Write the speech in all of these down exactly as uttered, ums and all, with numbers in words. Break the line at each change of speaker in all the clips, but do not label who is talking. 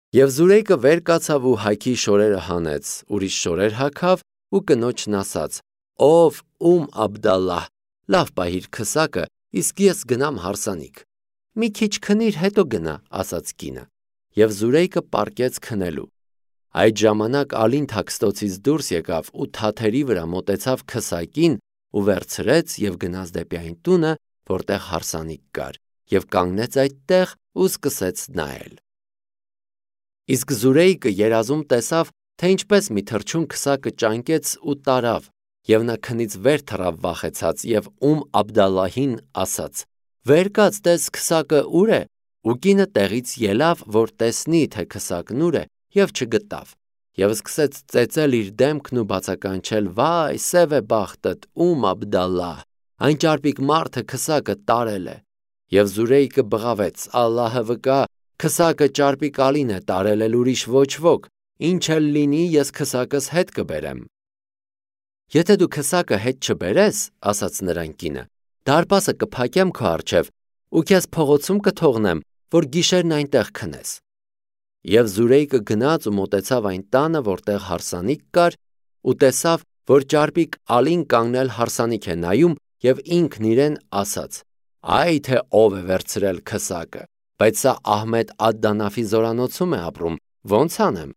Եվ Զուրեյկը վեր կացավ ու հայքի շորերը հանեց, ուրիշ շորեր հագավ ու կնոջն ասաց. «Ով Ում Աբդալլահ, լավ պահիր քսակը, իսկ ես գնամ հարսանիք»։ «Մի քիչ քնիր, հետո գնա», ասաց կինը։ Եվ Զուրեյկը պառկեց քնելու։ Այդ ժամանակ Ալին թաքստոցից դուրս եկավ ու թաթերի վրա մոտեցավ քսակին ու վերցրեց և գնաց դեպի այն տունը, որտեղ հարսանիք կար, և կանգնեց այդտեղ ու սկսեց նայել։ Իսկ Զուրեյկը երազում տեսավ, թե ինչպես մի թռչուն քսակը ճանկեց ու տարավ, և նա քնից վեր թռավ վախեցած և Ում Աբդալլահին ասաց. «Վեր կաց, տես քսակը ուր է»։ Ու կինը տեղից ելավ, որ տեսնի, թե քսակն ուր է, և չգտավ, և սկսեց ծեծել իր դեմքն ու բացականչել. «Վայ, սև է բախտդ, Ում Աբդալլահ, այն ճարպիկ մարդը քսակը տարել է»։ Եվ Զուրեյկը բղավեց. «Ալլահը վկա, քսակը ճարպիկ Ալին է տարել, էլ ուրիշ ոչ ոք, ինչ էլ լինի, ես քսակս հետ կբերեմ»։ «Եթե դու քսակը հետ չբերես, — ասաց նրան կինը, — դարպասը կփակեմ քո առջև ու քեզ փողոցում կթողնեմ, որ գիշերն այնտեղ քնես»։ Եվ Զուրեյկը գնաց ու մոտեցավ այն տանը, որտեղ հարսանիք կար, ու տեսավ, որ ճարպիկ Ալին կանգնել հարսանիք է նայում և ինքն իրեն ասաց. «Այ թե ով է վերցրել քսակը, բայց սա Ահմեդ Ադ-Դանաֆի զորանոցում է ապրում, ո՞նց անեմ»։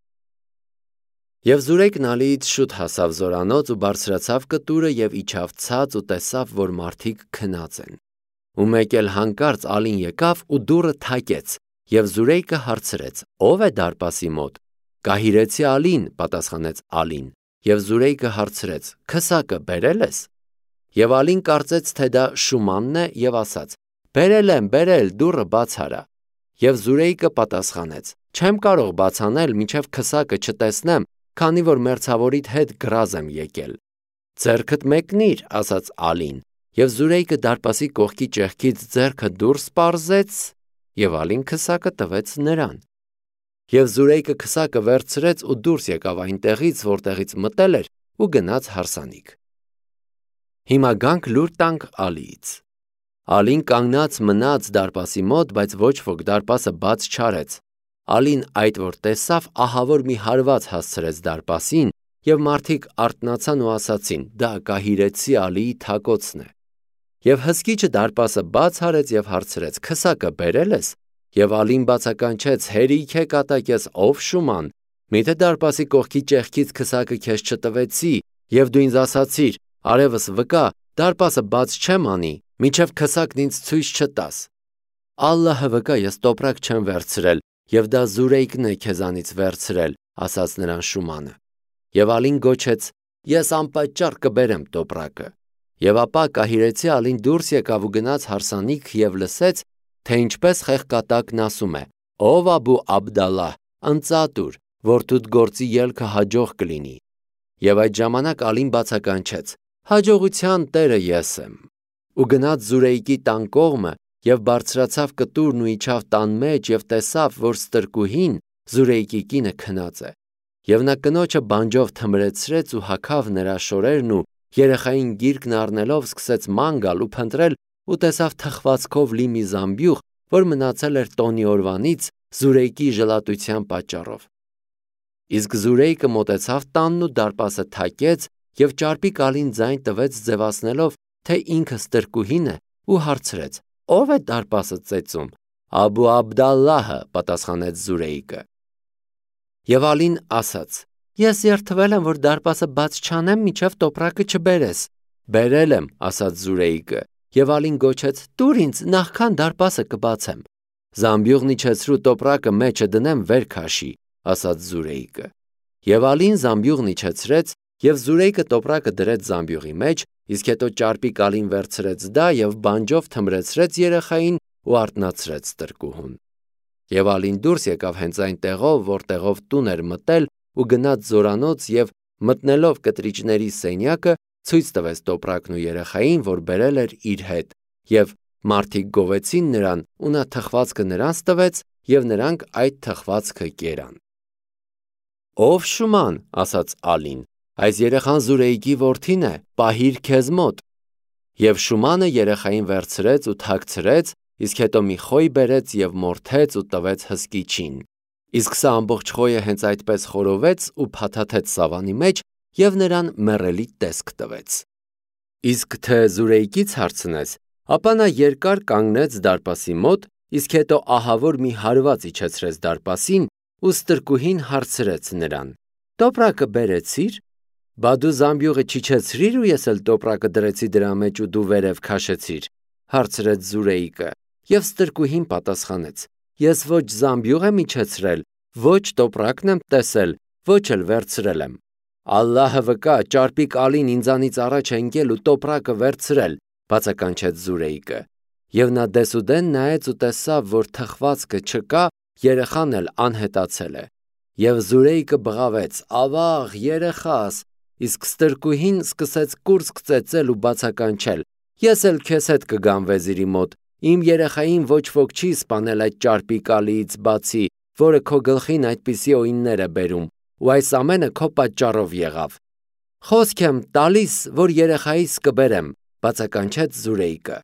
Եվ Զուրեյկն Ալիից շուտ հասավ զորանոց ու բարձրացավ կտուրը և իջավ ցած ու տեսավ, որ մարդիկ քնած են։ Ու մեկ էլ հանկարծ Ալին եկավ ու դուռը թակեց, և Զուրեյկը հարցրեց. «Ո՞վ է դարպասի մոտ»։ «Գահիրեցի Ալին», պատասխանեց Ալին։ Եվ Զուրեյկը հարցրեց. «Քսակը բերել ես»։ Եվ Ալին կարծեց, թե դա Շումանն է և ասաց. «Բերել եմ, բերել, դուռը բաց արա»։ Եվ Զուրեյկը պատասխանեց. «Չեմ կարող բաց անել, մինչև քսակը չտեսնեմ, քանի որ մերձավորիդ հետ գրազ եմ եկել»։ «Ձեռքդ մեկնիր», ասաց Ալին, և Զուրեյկը դարպասի կողքի ճեղքից ձեռքը դուրս պարզեց, և Ալին քսակը տվեց նրան։ Եվ Զուրեյկը քսակը վերցրեց ու դուրս եկավ այնտեղից, որտեղից մտել էր, ու գնաց հարսանիք։ Հիմա գանք լուր տանք Ալիից։ Ալին կանգնած մնաց դարպասի մոտ, բայց ոչ ոք դարպասը բաց չարեց։ Ալին այդ որ տեսավ, ահավոր մի հարված հասցրեց դարպասին, և մարդիկ արթնացան ու ասացին. «Դա գահիրեցի Ալիի թակոցն է»։ Եվ հսկիչը դարպասը բաց արեց և հարցրեց. «Քսակը բերել ես»։ Եվ Ալին բացականչեց. «Հերիք է կատակես, ով Շուման, միթե դարպասի կողքի ճեղքից քսակը քեզ չտվեցի, և դու ինձ ասացիր. արևս վկա, դարպասը բաց չեմ անի, մինչև քսակն ինձ ցույց չտաս»։ «Ալլահը վկա, ես տոպրակ չեմ վերցրել, և դա Զուրեյկն է քեզանից վերցրել», ասաց նրան Շումանը։ Եվ Ալին գոչեց. «Ես անպատճառ կբերեմ տոպրակը»։ Եվ ապա գահիրեցի Ալին դուրս եկավ ու գնաց հարսանիք և լսեց, թե ինչպես խեղկատակն ասում է. «Ով Աբու Աբդալլահ, ընծատուր, որդուդ գործի ելքը հաջող կլինի»։ Եվ այդ ժամանակ Ալին բացականչեց. «Հաջողության տերը ես եմ»։ Ու գնաց Զուրեյկի տան կողմը և բարձրացավ կտուրն ու իջավ տան մեջ և տեսավ, որ ստրկուհին, Զուրեյկի կինը, քնած է։ Եվ նա կնոջը բանջով թմրեցրեց ու հագավ նրա շորերն ու երեխային գիրկն առնելով սկսեց ման գալ ու փնտրել ու տեսավ թխվածքով լի մի զամբյուղ, որ մնացել էր տոնի օրվանից Զուրեյկի ժլատության պատճառով։ Իսկ Զուրեյկը մոտեցավ տանն ու դարպասը թակեց և ճարպիկ Ալին ձայն տվեց ձևացնելով, թե ինքը ստրկուհին է, ու հարցրեց. «Ո՞վ է դարպասը ծեծում»։ «Աբու Աբդալլահը», պատասխանեց Զուրեյկը։ Եվ Ալին ասաց. «Ես երդվել եմ, որ դարպասը բաց չանեմ, մինչև տոպրակը չբերես»։ «Բերել եմ», ասաց Զուրեյկը։ Եվ Ալին գոչեց. «Տուր ինձ, նախքան դարպասը կբացեմ»։ «Զամբյուղն իջեցրու տոպրակը մեջը դնեմ, վեր քաշի», ասաց Զուրեյկը։ Եվ Ալին զամբյուղն իջեցրեց, և Զուրեյկը տոպրակը դրեց զամբյուղի մեջ, իսկ հետո ճարպիկ Ալին վերցրեց դա և բանջով թմրեցրեց երեխային ու արթնացրեց ստրկուհուն։ Եվ Ալին դուրս եկավ հենց այն տեղով, որտեղով տուն էր մտել, ու գնաց զորանոց և մտնելով կտրիճների սենյակը, ցույց տվեց տոպրակն ու երեխային, որ բերել էր իր հետ, և մարդիկ գովեցին նրան, ու նա թխվածքը նրանց տվեց, և նրանք այդ թխվածքը կերան։ «Ով Շուման», ասաց Ալին, «այս երեխան Զուրեյկի որդին է, պահիր քեզ մոտ»։ Եվ Շումանը երեխային վերցրեց ու թաքցրեց, իսկ հետո մի խոյ բերեց և մորթեց ու տվեց հսկիչին։ Իսկ սա ամբողջ խոյը հենց այդպես խորովեց ու փաթաթեց սավանի մեջ և նրան մեռելի տեսք տվեց։ Իսկ թե Զուրեյկից հարցնես, ապա նա երկար կանգնեց դարպասի մոտ, իսկ հետո ահավոր մի հարված իջեցրեց դարպասին ու ստրկուհին հարցրեց նրան. «Տոպրակը բերեցի՞ր»։ «Բա դու զամբյուղը չիջեցրի՞ր ու ես էլ տոպրակը դրեցի դրա մեջ ու դու վերև քաշեցիր», հարցրեց Զուրեյկը, և ստրկուհին պատասխանեց. «Ես ոչ զամբյուղ եմ իջեցրել, ոչ տոպրակն եմ տեսել, ոչ էլ վերցրել եմ»։ «Ալլահը վկա, ճարպիկ Ալին ինձանից առաջ է ընկել ու տոպրակը վերցրել», բացականչեց Զուրեյկը։ Եվ նա դեսուդեն նայեց ու տեսավ, որ թխվածքը չկա, երեխան էլ անհետացել է։ Եվ Զուրեյկը բղավեց. «Ավաղ, երեխաս», իսկ ստրկուհին սկսեց կուրծք ծեծել ու բացականչել. «Ես էլ քեզ հետ կգամ վեզիրի մոտ, իմ երեխային ոչ ոք չի սպանել այդ ճարպիկ Ալիից բացի, որը քո գլխին այդպիսի օիններ է բերում, ու այս ամենը քո պատճառով եղավ»։ «Խոսք եմ տալիս, որ երեխայիս կբերեմ», բացականչեց Զուրեյկը։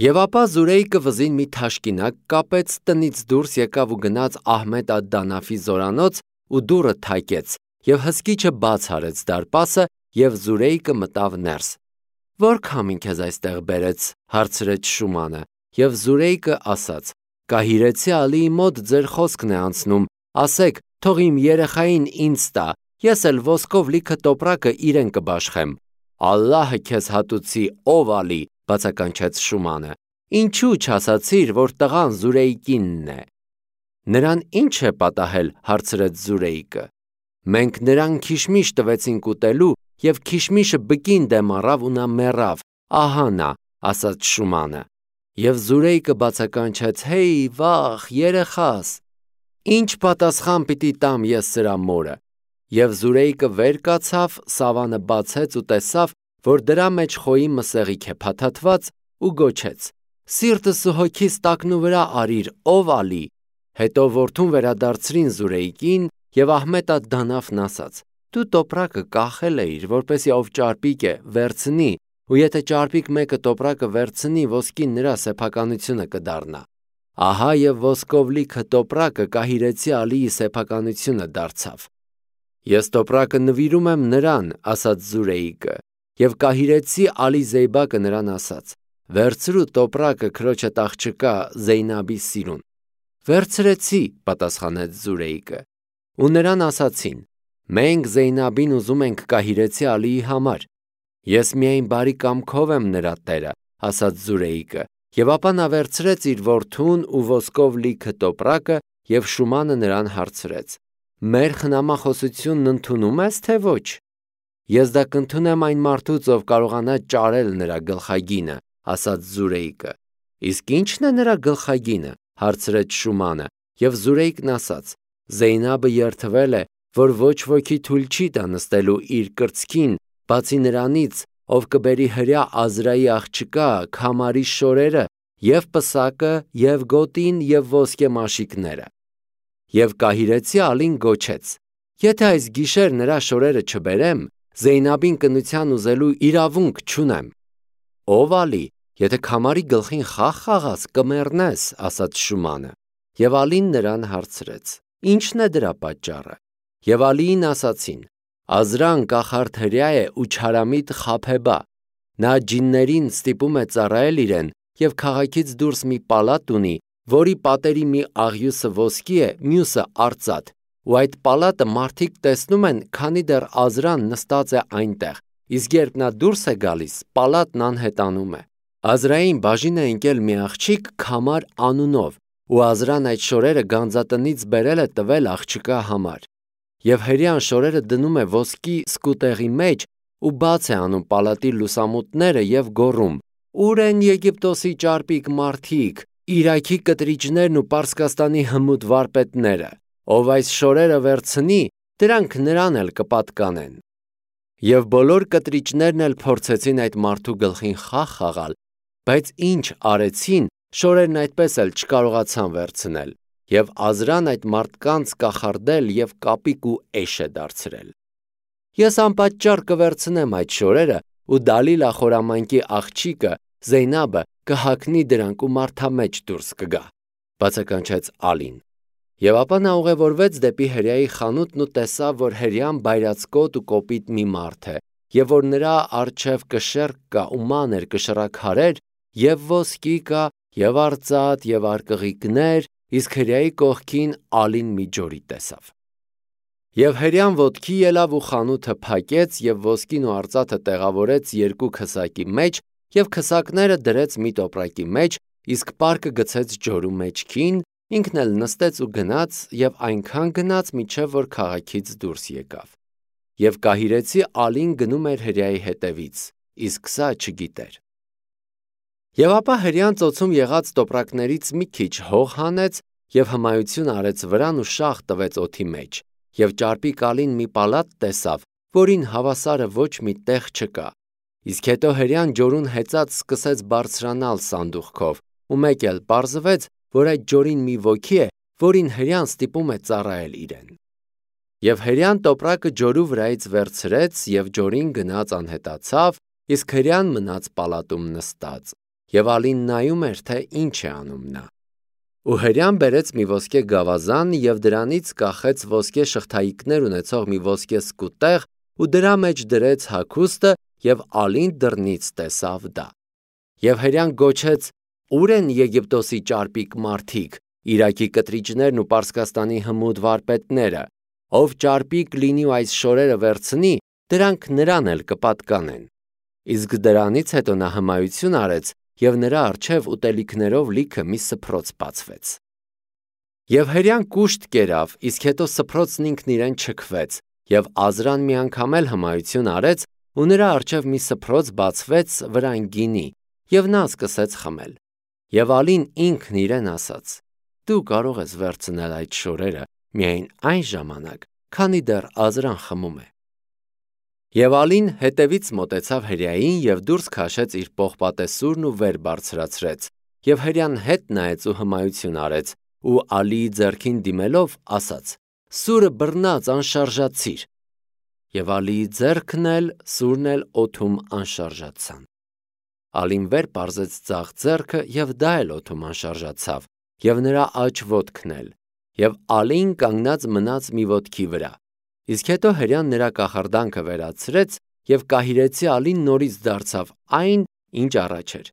Եվ ապա Զուրեյկը վզին մի թաշկինակ կապեց, տնից դուրս եկավ ու գնաց Ահմեդ ալ-Դանաֆի զորանոց ու դուռը թակեց և հսկիչը բաց արեց դարպասը և Զուրեյկը մտավ ներս։ «Ո՞ր քամին քեզ այստեղ բերեց», հարցրեց Շումանը, և Զուրեյկը ասաց. «Կահիրեցի Ալիի մոտ ձեր խոսքն է անցնում, ասեք, թող իմ երեխային ինձ տա, ես էլ ոսկով լիքը տոպրակը իրեն կբաշխեմ»։ «Ալլահը քեզ հատուցի, ով Ալի», բացականչեց Շումանը, «ինչու չասացիր, որ տղան Զուրեյկինն է»։ «Նրան ի՞նչ է պատահել», հարցրեց Զուրեյկը։ «Մենք նրան քիշմիշ տվեցինք ուտելու, և քիշմիշը բկին դեմ առավ ու նա մեռավ, ահա նա», ասաց Շումանը։ Եվ Զուրեյկը բացականչեց. «Հեյ, վախ, երեխաս, ի՞նչ պատասխան պիտի տամ ես սրա մորը»։ Եվ Զուրեյկը վեր կացավ, սավանը բացեց ու տեսավ, որ դրա մեջ խոյի մսեղիկ է փաթաթված ու գոչեց. «Սիրտս ու հոգիս տակնու վրա արիր, ով Ալի»։ Հետո որդուն վերադարձրին Զուրեյկին, և Ահմեդ ալ-Դանաֆն ասաց. «Դու տոպրակը կախել էիր, որպեսզի ով ճարպիկ է, վերցնի, ու եթե ճարպիկ մեկը տոպրակը վերցնի, ոսկին նրա սեփականությունը կդառնա։ Ահա և ոսկով լիքը տոպրակը կահիրեցի Ալիի սեփականությունը դարձավ»։ «Ես տոպրակը նվիրում եմ նրան», ասաց Զուրեյկը, և կահիրեցի Ալի Զեյբակը նրան ասաց. «Վերցրու տոպրակը քրոջդ աղջկա Զեյնաբի սիրուն»։ «Վերցրեցի», պատասխանեց Զուրեյկը։ Ու նրան ասացին. «Մենք Զեյնաբին ուզում ենք կահիրեցի Ալիի համար»։ «Ես միայն բարի կամքով եմ նրա տերը», ասաց Զուրեյկը, և ապա նա վերցրեց իր որդուն ու ոսկով լիքը տոպրակը, և Շումանը նրան հարցրեց. «Մեր խնամախոսությունն ընդունո՞ւմ ես, թե ոչ»։ «Ես դա կընդունեմ այն մարդուց, ով կարողանա ճարել նրա գլխագինը», ասաց Զուրեյկը։ «Իսկ ի՞նչն է նրա գլխագինը», հարցրեց Շումանը, և Զուրեյկն ասաց. «Զեյնաբը երդվել է, որ ոչ ոքի թույլ չի տա նստելու իր կրծքին, բացի նրանից, ով կբերի հրյա Ազրայի աղջկա Քամարի շորերը, և պսակը, և գոտին, և ոսկե մաշիկները»։ Եվ կահիրեցի Ալին գոչեց. «Եթե այս գիշեր նրա շորերը չբերեմ, Զեյնաբին կնության ուզելու իրավունք չունեմ»։ «Ով Ալի, եթե Քամարի գլխին խաղ խաղաս, կմեռնես», ասաց Շումանը։ Եվ Ալին նրան հարցրեց. «Ի՞նչն է դրա պատճառը»։ Եվ Ալիին ասացին. «Ազրան կախարդ հրյա է ու չարամիտ Խաբեբա։ Նա ջիններին ստիպում է ծառայել իրեն և քաղաքից դուրս մի պալատ ունի, որի պատերի մի աղյուսը ոսկի է, մյուսը արծաթ, ու այդ պալատը մարդիկ տեսնում են, քանի դեռ Ազրան նստած է այնտեղ, իսկ երբ նա դուրս է գալիս, պալատն անհետանում է։ Ազրային բաժին է ընկել մի աղջիկ Քամար անունով, ու Ազրան այդ շորերը գանձատնից բերել է տվել աղջկա համար։ Եվ հրեան շորերը դնում է ոսկի սկուտեղի մեջ ու բաց է անում պալատի լուսամուտները և գոռում. «Ո՞ւր են Եգիպտոսի ճարպիկ մարդիկ, Իրաքի կտրիճներն ու Պարսկաստանի հմուտ վարպետները։ Ով այս շորերը վերցնի, դրանք նրան էլ կպատկանեն»։ Եվ բոլոր կտրիճներն էլ փորձեցին այդ մարդու գլխին խաղ խաղալ, բայց ինչ արեցին, շորերն այդպես էլ չկարողացան վերցնել, և Ազրան այդ մարդկանց կախարդել և կապիկ ու էշ է դարձրել։ «Ես անպատճառ կվերցնեմ այդ շորերը, ու Դալիլա խորամանկի աղջիկը Զեյնաբը կհագնի դրանք ու մարդամեջ դուրս կգա», բացականչեց Ալին։ Եվ ապա նա ուղևորվեց դեպի հրեայի խանութն ու տեսավ, որ հրեան բայրացկոտ ու կոպիտ մի մարդ է, եւ որ նրա առջև կշեռք կա ու մանր կշռաքարեր, եւ ոսկի կա, եւ արծաթ, եւ արկղիկներ, իսկ հրեայի կողքին ալին մի ջորի տեսավ։ Եվ հրեան ոտքի ելավ ու խանութը փակեց եւ ոսկին ու արծաթը տեղավորեց երկու քսակի մեջ եւ քսակները դրեց մի տոպրակի մեջ, իսկ պարկը գցեց ջորու մեջքին, ինքն էլ նստեց ու գնաց եւ այնքան գնաց, մինչեւ որ քաղաքից դուրս եկավ։ Եվ կահիրեցի ալին գնում էր հրեայի հետևից, իսկ սա չգիտեր։ Եվ ապա հրեան ծոցում եղած տոպրակներից մի քիչ հող հանեց եւ հմայություն արեց վրան ու շաղ տվեց օդի մեջ, եւ ճարպիկ ալին մի պալատ տեսավ, որին հավասարը ոչ մի տեղ չկա։ Իսկ հետո հրեան ջորուն հեծած սկսեց բարձրանալ սանդուղքով, ու մեկ էլ պարզվեց, որ այդ ջորին մի ոգի է, որին հրեան ստիպում է ծառայել իրեն։ Եվ հրեան տոպրակը ջորու վրայից վերցրեց եւ ջորին գնաց անհետացավ, իսկ հրեան մնաց պալատում նստած, եւ ալին նայում էր, թե ինչ է անում նա։ Ու հրեան բերեց մի ոսկե գավազան եւ դրանից կախեց ոսկե շղթայիկներ ունեցող մի ոսկե սկուտեղ ու դրա մեջ դրեց հագուստը եւ ալին դռնից տեսավ դա։ Եվ հրեան գոչեց. «Ուր են Եգիպտոսի ճարպիկ մարդիկ, Իրաքի կտրիճներն ու Պարսկաստանի հմուտ վարպետները, ով ճարպիկ լինի ու այս շորերը վերցնի, դրանք նրան էլ կպատկանեն»։ Իսկ դրանից հետո նա հմայություն արեց եւ նրա առջև ուտելիքներով լիքը մի սփռոց բացվեց։ Եվ հրեան կուշտ կերավ, իսկ հետո սփռոցն ինքն իրեն չքվեց, եւ Ազրան մի անգամ էլ հմայություն արեց, ու նրա առջև մի սփռոց բացվեց վրան գինի, եւ նա սկսեց խմել։ Եվ ալին ինքն իրեն ասաց. «Դու կարող ես վերցնել այդ շորերը միայն այն ժամանակ, քանի դեռ Ազրան խմում է»։ Եվ ալին հետևից մոտեցավ հրեային եւ դուրս քաշեց իր պողպատեսուրն ու վեր բարձրացրեց, եւ հրեան հետ նայեց ու հմայություն արեց, ու ալիի ձեռքին դիմելով ասաց. «Սուրը բռնած անշարժացիր»։ Եվ ալիի ձեռքն էլ, սուրն էլ օդում անշարժացան։ Ալին վեր պարզեց ձախ ձեռքը եւ դա էլ օդում անշարժացավ, եւ նրա աջ ոտքն էլ, եւ ալին կանգնած մնաց մի ոտքի վրա։ Իսկ հետո հրեան նրա կախարդանքը վերացրեց եւ կահիրեցի ալին նորից դարձավ այն, ինչ առաջ էր։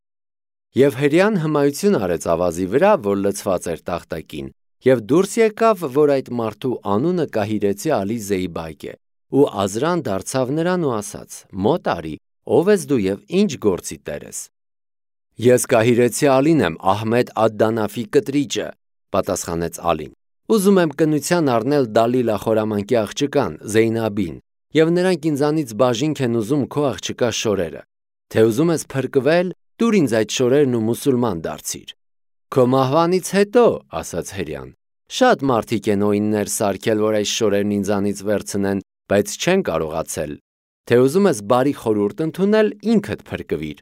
Եվ հրեան հմայություն արեց ավազի վրա, որ լցված էր տախտակին, եւ դուրս եկավ, որ այդ մարդու անունը կահիրեցի ալի Զեյբակ է, ու Ազրան դարձավ նրան ու ասաց. «Մոտ արի, ով ես դու եւ ինչ գործի տեր ես»։ «Ես կահիրեցի ալին եմ, Ահմեդ ադ-Դանաֆի կտրիճը», պատասխանեց ալին։ «Ուզում եմ կնության առնել Դալիլա խորամանկի աղջկան, Զեյնաբին, եւ նրանք ինձանից բաժինք են ուզում քո աղջկա շորերը։ Թե ուզում ես փրկվել, տուր ինձ այդ շորերն ու մուսուլման դարձիր»։ «Քո մահվանից հետո», ասաց հրեան, «շատ մարդիկ են օիններ սարքել, որ այս շորերն ինձանից վերցնեն, բայց չեն կարողացել։ Թե ուզում ես բարի խորհուրդ ընդունել, ինքդ փրկվիր։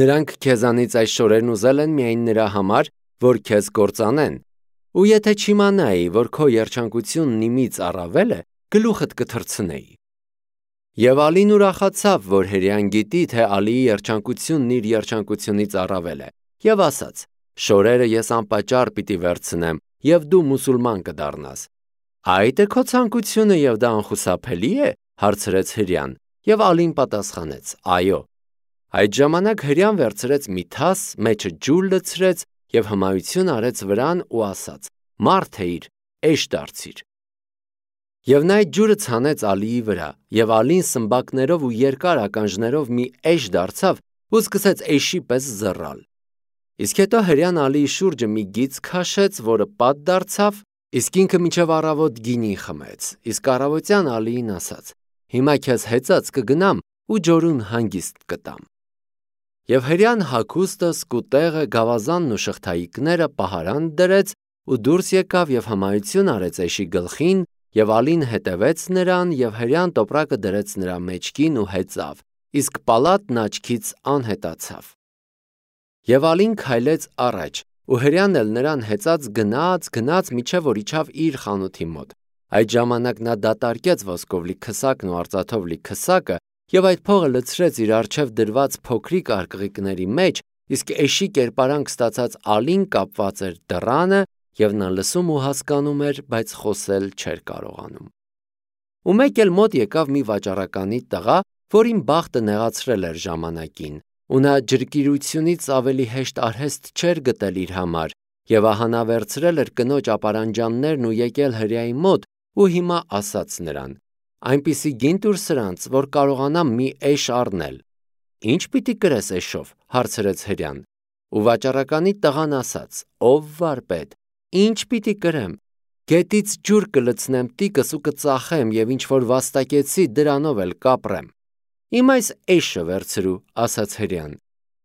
Նրանք քեզանից այս շորերն ուզել են միայն նրա համար, որ քեզ կործանեն, ու եթե չիմանայի, որ քո երջանկությունն իմից առավել է, գլուխդ կթռցնեի»։ Եվ ալին ուրախացավ, որ հրեան գիտի, թե ալիի երջանկությունն իր երջանկությունից առավել է, եւ ասաց. «Շորերը ես անպատճառ պիտի վերցնեմ, եւ դու մուսուլման կդառնաս»։ «Այդ է քո ցանկությունը եւ դա անխուսափելի է», հարցրեց հրեան, եւ ալին պատասխանեց. «Այո»։ Այդ ժամանակ հրեան վերցրեց մի թաս, մեջը ջուր լցրեց եւ հմայություն արեց վրան ու ասաց. «Մարդ էիր, էշ դարձիր»։ Եվ նա այդ ջուրը ցանեց ալիի վրա, եւ ալին սմբակներով ու երկար ականջներով մի էշ դարձավ ու սկսեց էշի պես զռալ։ Իսկ հետո հրեան ալիի շուրջը մի գիծ քաշեց, որը պատ դարձավ, իսկ ինքը մինչև առավոտ գինի խմեց, իսկ առավոտյան ալիին ասաց. «Հիմա քեզ հեծած կգնամ ու ջորուն հանգիստ կտամ»։ Եվ հրեան հագուստը, սկուտեղը, գավազանն ու շղթայիկները պահարան դրեց ու դուրս եկավ եւ հմայություն արեց էշի գլխին, եւ ալին հետևեց նրան, եւ հրեան տոպրակը դրեց նրա մեջքին ու հեծավ, իսկ պալատն աչքից անհետացավ։ Եվ ալին քայլեց առաջ, ու հրեան էլ նրան հեծած գնաց, գնաց, մինչև որ իջավ իր խանութի մոտ։ Այդ ժամանակ նա դատարկեց ոսկով լի քսակն ու արծաթով լի քսակը, եւ այդ փողը լցրեց իր առջև դրված փոքրիկ արկղիկների մեջ, իսկ էշի կերպարանք ստացած ալին կապված էր դռանը և նա լսում ու հասկանում էր, բայց խոսել չէր կարողանում։ Ու մեկ էլ մոտ եկավ մի վաճառականի տղա, որին բախտը նեղացրել էր ժամանակին, ու նա ջրկիրությունից ավելի հեշտ արհեստ չէր գտել իր համար, և ահա նա վերցրել էր կնոջ ապարանջաններն ու եկել հրեայի մոտ ու հիմա ասաց նրան. «Այնպիսի գին տուր սրանց, որ կարողանամ մի էշ առնել»։ «Ի՞նչ պիտի կրես էշով» հարցրեց հրեան։ Ու վաճառականի տղան ասաց. «Ով վարպետ, ի՞նչ պիտի կրեմ։ Գետից ջուր կլցնեմ տիկս ու կծախեմ և ինչ որ վաստակեցի, դրանով էլ կապրեմ»։ «Իմ այս էշը վերցրու», ասաց հրեան։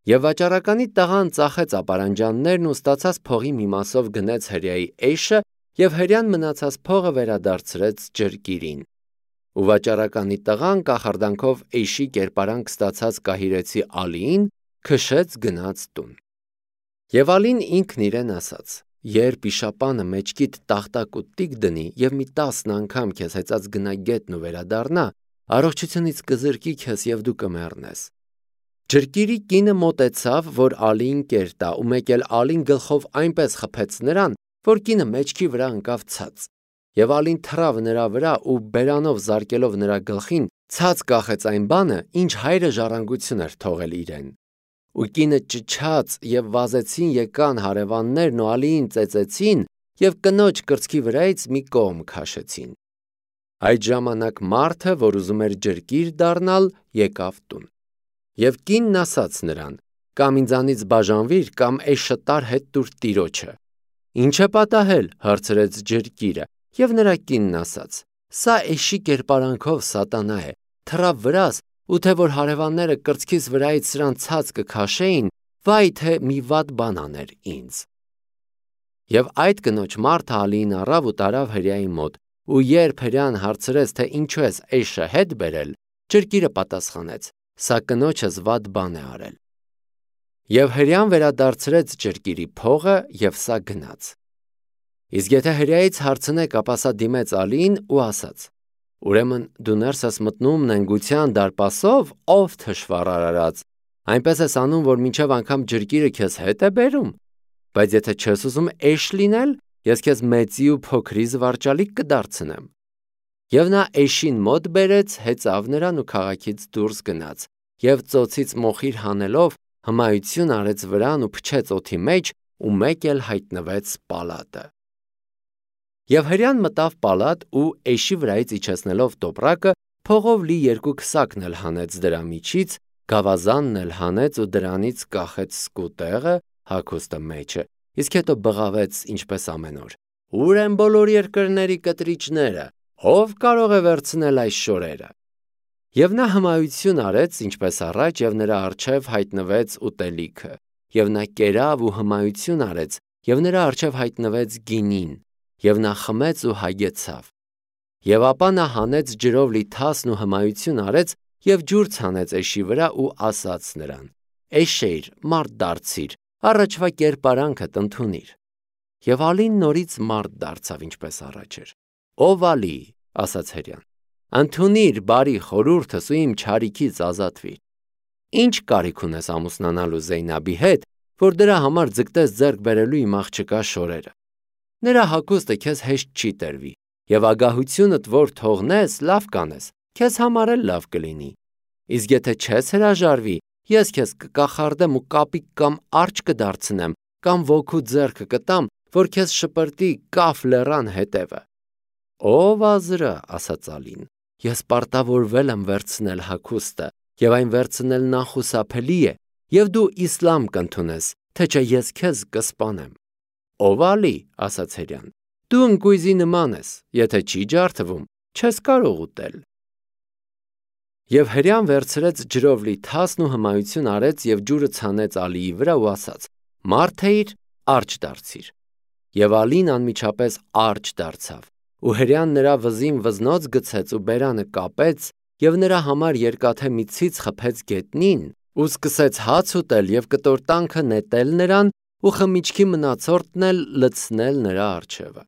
Եվ վաճառականի տղան ծախեց ապարանջաններն ու ստացած փողի մի մասով գնեց հրեայի էշը, և հրեան մնացած փողը վերադարձրեց ջրկիրին։ Ու վաճառականի տղան կախարդանքով էշի կերպարանք ստացած կահիրեցի Ալիին քշեց գնաց տուն։ Եվ Ալին ինքն իրեն ասաց. «Երբ իշապանը մեջքիդ տախտակ ու տիկ դնի և մի տասն անգամ քեզ հեծած գնա գետն ու վերադառնա, առողջությունից կզրկի քեզ և դու կմեռնես»։ Ջրկիրի կինը մոտեցավ, որ Ալիին կեր տա, ու մեկ էլ Ալին գլխով այնպես խփեց նրան, որ կինը մեջքի վրա ընկավ ցած։ Եվ Ալին թռավ նրա վրա ու բերանով զարկելով նրա գլխին, ցած կախեց այն բանը, ինչ հայրը ժառանգություն էր թողել իրեն։ Ու կինը ճչաց, և վազեցին եկան հարևաններն ու Ալիին ծեծեցին և կնոջ կրծքի վրայից մի կողմ քաշեցին։ Այդ ժամանակ մարդը, որ ուզում էր ջրկիր դառնալ, եկավ տուն։ Եվ կինն ասաց նրան. «Կամ ինձանից բաժանվիր, կամ էշը տարր հետ տուր տիրոջը»։ «Ինչ է պատահել» հարցրեց ջրկիրը, և նրա կինն ասաց. «Սա էշի կերպարանքով սատանա է, թռավ վրաս, ու թե որ հարևանները կրծքիս վրայից սրան ցած կքաշեին, վայ թե մի վատ բան աներ ինձ»։ Եվ այդ կնոջ մարդը Ալիին առավ ու տարավ հրեայի մոտ, ու երբ հրեան հարցրեց, թե ինչու ես էշը հետ բերել, ջրկիրը պատասխանեց. «Սա կնոջս վատ բան է արել»։ Եվ հրեան վերադարձրեց ջրկիրի փողը, և սա գնաց։ Իսկ եթե հրեայից հարցնեք, ապա սա դիմեց Ալիին ու ասաց. «Ուրեմն դու ներս ես մտնում նենգության դարպասով, ով թշվառ արարած, այնպես ես անում, որ մինչև անգամ ջրկիրը քեզ հետ է բերում։ Բայց եթե չես ուզում էշ լինել, ես քեզ մեծի ու փոքրի զվարճալիք կդարձնեմ»։ Եվ նա էշին մոտ բերեց, հեծավ նրան ու քաղաքից դուրս գնաց, և ծոցից մոխիր հանելով հմայություն արեց վրան ու փչեց օդի մեջ, ու մեկ էլ հայտնվեց պալատը։ Եվ հրեան մտավ պալատ ու էշի վրայից իջեցնելով տոպրակը, փողով լի երկու քսակն էլ հանեց դրա միջից, գավազանն էլ հանեց ու դրանից կախեց սկուտեղը, հագուստը մեջը, իսկ հետո բղավեց ինչպես ամեն օր. «Ո՞ւր են բոլոր երկրների կտրիչները, ով կարող է վերցնել այս շորերը»։ Եվ նա հմայություն արեց, ինչպես առաջ, և նրա առջև հայտնվեց ուտելիքը։ Եվ նա կերավ ու հմայություն արեց, և նրա առջև հայտնվեց գինին, և նա խմեց ու հագեցավ։ Եվ ապա նա հանեց ջրով լի թասն ու հմայություն արեց, և ջուր ցանեց էշի վրա ու ասաց նրան. «Էշեյր, մարդ դարձիր, առաջվա կերպարանքդ ընդունիր»։ Եվ Ալին նորից մարդ դարձավ, ինչպես առաջ էր։ «Ով Ալի», ասաց հրեան, «ընդունիր բարի խորհուրդս ու իմ չարիքից ազատվիր։ Ի՞նչ կարիք ունես ամուսնանալու Զեյնաբի հետ, որ դրա համար ձգտես ձեռք բերելու իմ աղջկա շորերը։ Նրա հագուստը քեզ հեշտ չի տրվի, և ագահությունդ որ թողնես, լավ կանես, քեզ համար էլ լավ կլինի։ Իսկ եթե չես հրաժարվի, ես քեզ կկախարդեմ ու կապիկ կամ արջը կդարձնեմ, կամ ոգու ձեռքը կտամ, որ քեզ շպրտի Կաֆ լեռան հետևը»։ «Ով Ազրը», ասաց Ալին, «ես պարտավորվել եմ վերցնել հագուստը, և այն վերցնելն անխուսափելի է, և դու իսլամ կընդունես, թե չէ ես քեզ կսպանեմ»։ «Ով Ալի», ասաց հրեան, «դու ընկույզի նման ես, եթե չի ջարդվում, չես կարող ուտել»։ Եվ հրեան վերցրեց ջրով լի թասն ու հմայություն արեց և ջուրը ցանեց Ալիի վրա ու ասաց. «Մարդ էիր, արջը դարձիր»։ Եվ Ալին անմիջապես արջը դարձավ։ Ու հրեան նրա վզին վզնոց գցեց ու բերանը կապեց, և նրա համար երկաթե մի ցից խփեց գետնին, ու սկսեց հաց ուտել և կտորտանքը նետել նրան ու խմիչքի մնացորդն էլ լցնել նրա առջևը։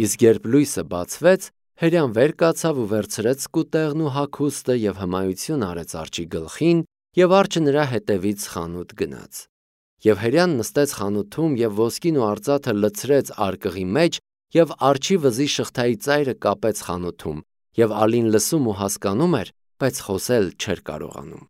Իսկ երբ լույսը բացվեց, հրեան վեր կացավ ու վերցրեց սկուտեղն ու հագուստը և հմայություն արեց արջի գլխին, և արջը նրա հետևից խանութ գնաց։ Եվ հրեան նստեց խանութում և ոսկին ու արծաթը լցրեց արկղի մեջ և արջի վզի շղթայի ծայրը կապեց խանութում, և Ալին լսում ու հասկանում էր, բայց խոսել չէր կարողանում։